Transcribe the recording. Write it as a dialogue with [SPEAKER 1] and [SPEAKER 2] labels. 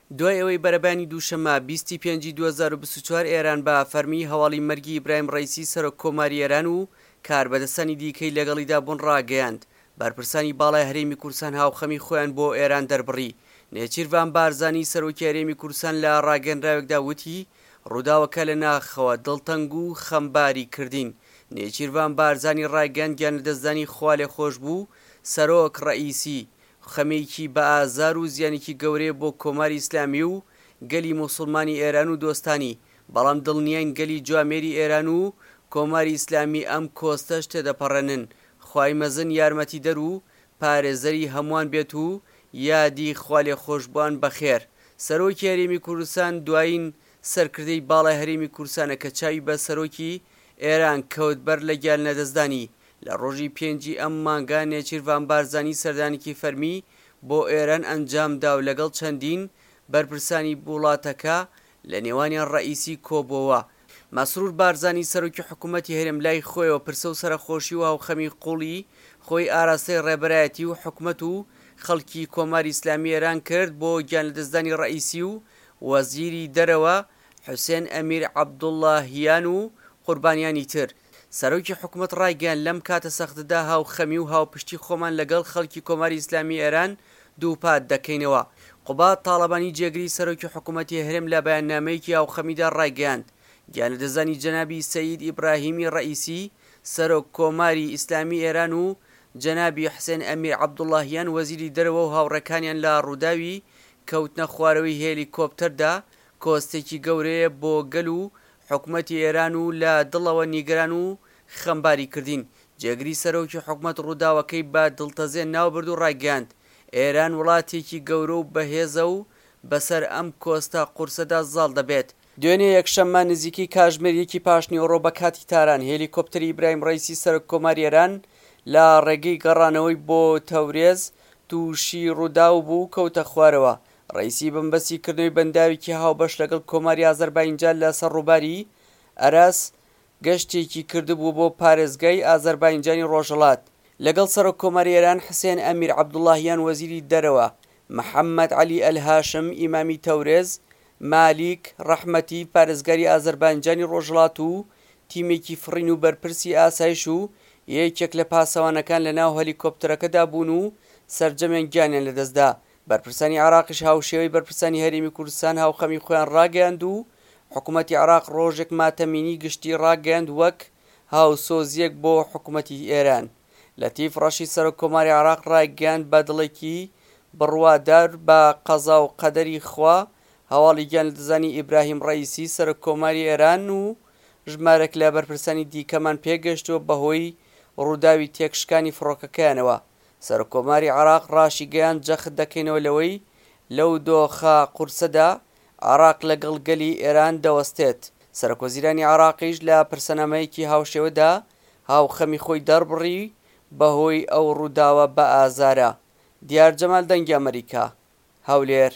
[SPEAKER 1] دوای ئەوەی بەرەبەیانی دووشەممە 20 ی پێنجی 2024 ئێران بە فەرمی هەواڵی مەرگی ئیبراهیم ڕەئیسی سەرۆک کۆماری ئێران و کاربەدەستانی دیکەی لەگەڵیدا بوون ڕاگەیاند، بەرپرسانی باڵای هەرێمی کوردستان هاوخەمی خۆیان بۆ ئێران دەربڕی. نێچیرڤان بارزانی سەرۆکی هەرێمی کوردستان لە ڕاگەیەنراوێکدا وتی، ڕووداوەکە لە ناخەوە دڵتەنگ و خەمباری کردین. نێچیرڤان بارزانی ڕایگەیاند گیانلەدەستدانی خوالێخۆشبوو سەرۆک ڕەئیسی، خەمێکی بە ئازار و زیانێکی گەورەیە بۆ کۆماری ئیسلامی و گەلی موسوڵمانی ئێران و دۆستانی، بەڵام دڵنیاین گەلی جوامێری ئێران و کۆماری ئیسلامی ئەم کۆستەش تێدەپەڕێنن. خوای مەزن یارمەتیدەر و پارێزەری هەمووان بێت و یادی خوالێخۆشبووان بەخێر. سەرۆکی هەرێمی کوردستان دوایین سەرکردەی باڵای هەرێمی کوردستانە کە چاوی بە سەرۆکی ئێران کەوت بەر لە گیانلەدەستدانی. لە ڕۆژی پێنجی ئەم مانگە نێچیرڤان بارزانی سەردانێکی فەرمی بۆ ئێران ئەنجامدا و لەگەڵ چەندین بەرپرسانی وڵاتەکە لە نێوانیان ڕەئیسی کۆبۆوە. مەسرور بارزانی سەرۆکی حکومەتی هەرێم لای خۆیەوە پرسە و سەرەخۆشی و هاوخەمی قوڵی خۆی ئاراستەی ڕێبەرایەتی و حکومەت و خەڵکی کۆماری ئیسلامی ئێران کرد بۆ گیانلەدەستدانی ڕەئیسی و وەزیری دەرەوە حوسێن ئەمیر عەبدوڵڵاهیان و قوربانیانی تر. سەرۆکی حکومەت ڕایگەیاند، لەم کاتە سەختەدا هاوخەمی و هاوپشتی خۆمان لەگەڵ خەڵکی کۆماری ئیسلامی ئێران دووپات دەکەینەوە. قوباد تاڵەبانی جێگری سەرۆکی حکومەتی هەرێم لە بەیاننامەیەکی هاوخەمیدا ڕایگەیاند، گیانلەدەستدانی جەنابی سەید ئیبراهیمی ڕەئیسی سەرۆک کۆماری ئیسلامی ئێران و جەنابی حسێن ئەمیر عەبدوڵڵاهیان وەزیری دەرەوە و هاوڕێکانیان لە ڕووداوی کەوتنە خوارەوەی هێلیکۆپتەردا کۆستێکی گەورەیە بۆ گەل و حکومەتی ئێران و لە دڵەوە نیگەران و خەمباری کردین. جێگری سەرۆکی حکومەت ڕووداوەکەی بە دڵتەزێن ناوبرد و ڕایگەیاند، ئێران وڵاتێکی گەورە و بەهێزە و بەسەر ئەم کۆستە قورسەدا زاڵ دەبێت. دوێنێ یەکشەممە نزیکەی کاژمێر یەکی پاشنیوەڕۆ بە کاتی تاران، هێلیکۆپتەری ئیبراهیم ڕەئیسی سەرۆککۆماری ئێران لە ڕێگەی گەڕانەوەی بۆ تەورێز تووشی ڕووداو بوو و کەوتە خوارەوە. ڕەئیسی بە مەبەستی کردنەوەی بەنداوێکی هاوبەش لەگەڵ کۆماری ئازەرباینجان لەسەر ڕووباری ئەرەس گەشتێکی کردبوو بۆ پارێزگای ئازەرباینجانی ڕۆژهەڵات لەگەڵ سەرۆک کۆماری ئێران حسێن ئەمیر عەبدوڵڵاهیان وەزیری دەرەوە محەممەد عەلی ئەلهاشم ئیمامی تەورێز مالیک ڕەحمەتی پارێزگاری ئازەرباینجانی ڕۆژهەڵات و تیمێکی فڕین و بەرپرسی ئاسایش و یەکێک لە پاسەوانەکان لەناو هەلیکۆپتەرەکەدا بوون و سەرجەمیان گیانیان لەدەستدا. بەرپرسانی عێراقیش هاوشێوەی بەرپرسانی هەرێمی کوردستان هاوخەمی خۆیان ڕاگەیاند و حکومەتی عێراق ڕۆژێک ماتەمینی گشتی ڕاگەیاند وەک هاوسۆزییەک بۆ حکومەتی ئێران. لەتیف ڕەشید سەرۆک کۆماری عێراق ڕایگەیاند بە دڵێکی بڕوادار بە قەزا و قەدەری خوا هەواڵی گیانلەدەستدانی ئیبراهیم ڕەئیسی سەرۆک کۆماری ئێران و ژمارێک لە بەرپرسانی دیکەمان پێگەیشتووە بەهۆی ڕووداوی تێکشکانی فڕۆکەکەیانەوە. سەرۆککۆماری عێراق ڕاشیگەیاند، جەخت دەکەینەوە لەوەی لەو دۆخە قورسەدا عێراق لەگەڵ گەلی ئێران دەوەستێت. سەرۆکوەزیرانی عێراقیش لە پرسەنامەیەکی هاوشێوەدا هاوخەمی خۆی دەربڕی بەهۆی ئەو ڕووداوە بەئازارە. دیار جەمال دەنگی ئەمەریکا، هەولێر.